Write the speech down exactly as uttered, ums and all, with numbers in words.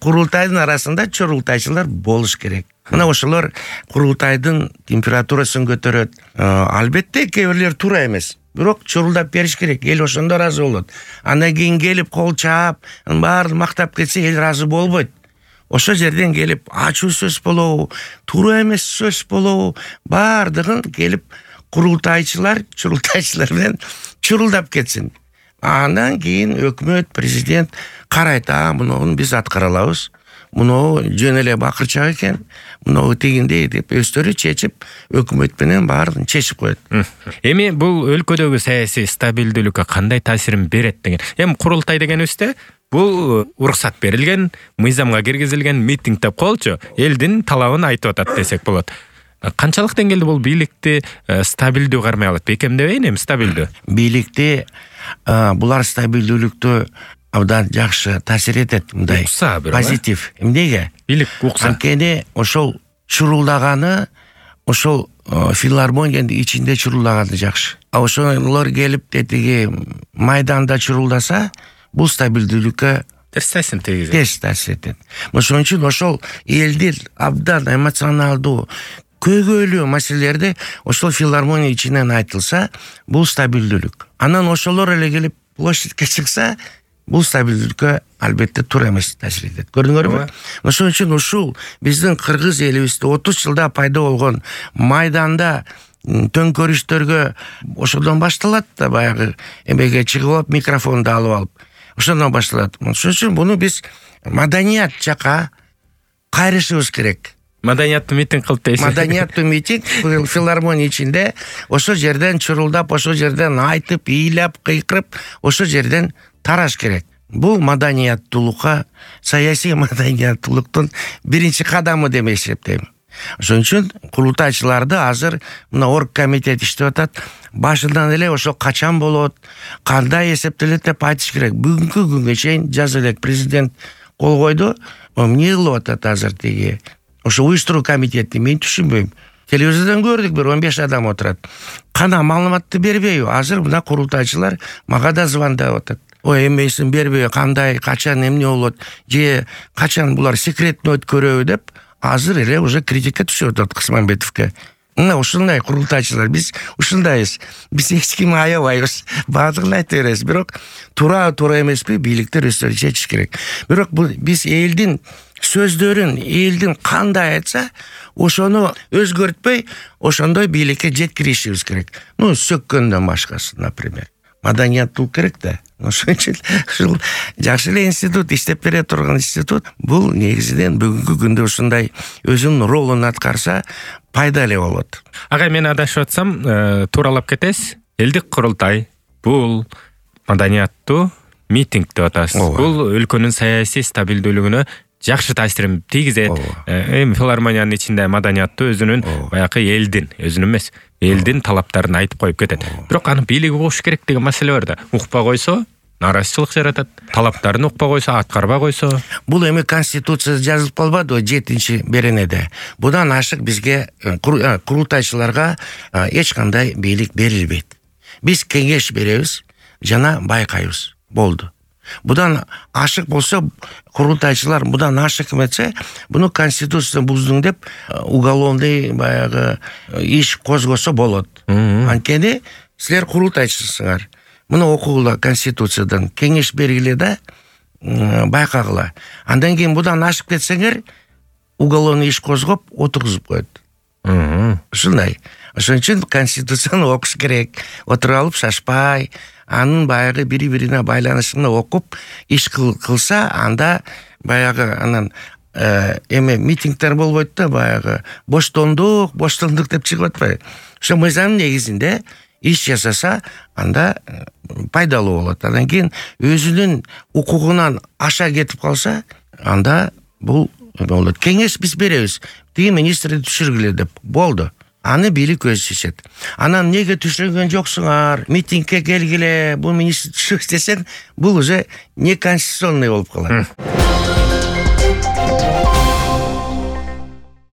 курултайдын арасында чурултайчылар болуш керек. Мына ошолор курултайдын температурасын көтөрөт. Албетте кээ бирлер туура эмес. Бирок чурулдап бериш керек. Эл ошондо ыраазы болот. Андан кийин келип кол чаап, баарын мактап кетсе эл ыраазы болбойт. Ошол жерден келип ачуу сөз болобу, туура эмес сөз болобу, баардыгын келип курултайчылар, чурултайчылар менен чурулдап кетсин. Андан кийин өкмөт, президент карайт, а муну биз аткара алабыз. Муну жөн эле бакырчак экен, муну тегиндей деп өздөрү чечип, өкмөт менен баарын чечип коет. Эми бул өлкөдөгү саясий стабилдүүлүккө кандай таасирин берет деген. Эми курултай дегенибизде бул уруксат берилген, мыйзамга киргизилген митинг деп коелучу, элдин талабын айтып атат десек болот. Канчалык деңгээлде бул бийликти стабилдүү кармай алат? Бекемдебейин эми стабилдүү. Бийликти булар стабилдүүлүктү абдан жакшы таасир этет, мындай позитив. Эмнеге? Бийлик укса. Анткени ошол чурулдаганы ошол филармониянын ичинде чурулдаганы жакшы. А ошолор келип тетиги майданда чурулдаса, бул стабилдүүлүккө терс таасир тийгизет. Терс таасир этет. Ошон үчүн ошол элдин абдан эмоционалдуу көйгөйлүү маселелерди ошол филармония ичинен айтылса, бул стабилдүүлүк. Анан ошолор эле келип площадьке чыкса, бул стабилдүүлүккө албетте туура эмес таасир этет. Көрдүңөрбү? Ошон үчүн ушул биздин кыргыз элибизде отуз жылда пайда болгон майданда төңкөрүштөргө ошодон башталат да, баягы эмеге чыгып алып, микрофонду алып алып, ошондон башталат. Ошон үчүн буну биз маданият жака кайрышыбыз керек. Маданияттуу митинг кылып дейсиз. Маданияттуу митинг филармония ичинде ошол жерден чурулдап, ошол жерден айтып, ыйлап, кыйкырып, ошол жерден тараш керек. Бул маданияттуулукка, саясий маданияттуулуктун биринчи кадамы деп эсептейм. Ошон үчүн курултайчыларды азыр мына орг комитет иштеп атат. Башынан эле ошол качан болот, кандай эсептелет деп айтыш керек. Бүгүнкү күнгө чейин жаза элек президент кол койду. Эмне кылып атат азыр тиги ошо уюштуруу комитети, мен түшүнбөйм. Телевизордон көрдүк, бир он беш адам отурат. Кана маалыматты бербейби? Азыр мына курултайчылар мага да звондап атат. Ой, эмесин бербей, кандай, качан эмне болот, же качан булар секретно өткөрөбү деп, азыр эле уже критика түшүп атат Кысмамбетовке. Мына ушундай курултайчылар, биз ушундайбыз. Биз эч кимди аябайбыз. Баардыгын айта беребиз. Бирок туура туура эмеспи, бийликтер өздөрү чечиш керек. Бирок бул биз элдин сөздөрүн, элдин кандай айтса, ошону өзгөртпөй, ошондой бийликке жеткиришибиз керек. Ну, сөккөндөн башкасы, например. Маданияттуулук керек да. Ошон үчүн ушул жакшы эле институт, иштеп бере турган институт, бул негизинен бүгүнкү күндө ушундай өзүнүн ролун аткарса, пайда эле болот. Ага, мен адашып атсам, тууралап кетесиз. Элдик курултай бул маданияттуу митинг деп атасыз. Бул өлкөнүн саясий стабилдүүлүгүнө жакшы таасирин тийгизет. Эми филармониянын ичинде маданияттуу өзүнүн баягы элдин, өзүнүн эмес, элдин талаптарын айтып коюп кетет. Бирок аны бийлик угуш керек деген маселе бар да. Укпа койсо, нааразычылык жаратат. Талаптарын укпа койсо, аткарбай койсо. Бул эми конституцияда жазылып калбадыбы жетинчи беренеде. Будан ашык бизге курултайчыларга эч кандай бийлик берилбейт. Биз кеңеш беребиз жана байкайбыз. Болду. Будан ашык болсо, курултайчылар будан ашык эмесе, буну конституцияны буздуң деп уголовный баягы иш козгосо болот. Анткени силер курултайчысыңар. Муну окугула конституциядан, кеңеш бергиле да, байкагыла. Андан кийин будан ашык кетсеңер, уголовный иш козгоп, отургузуп коет. Ушундай. Ошон үчүн конституцияны окуш керек. Отуруп алып шашпай, анын баягы бири-бирине байланышын окуп, иш кылса, анда баягы анан эме митингдер болбойт да, баягы боштондук, боштондук деп чыгып атпайбы? Ошо мыйзамдын негизинде иш жасаса, анда пайдалуу болот. Андан кийин өзүнүн укугунан аша кетип калса, анда бул болот. Кеңеш биз беребиз. Тиги министрди түшүргүлө деп болду. Аны бийлик өзү чечет. Анан неге түшүргөн жоксуңар? Митингге келгиле, бул министр түшүрүш десең, бул уже неконституционный болуп калат.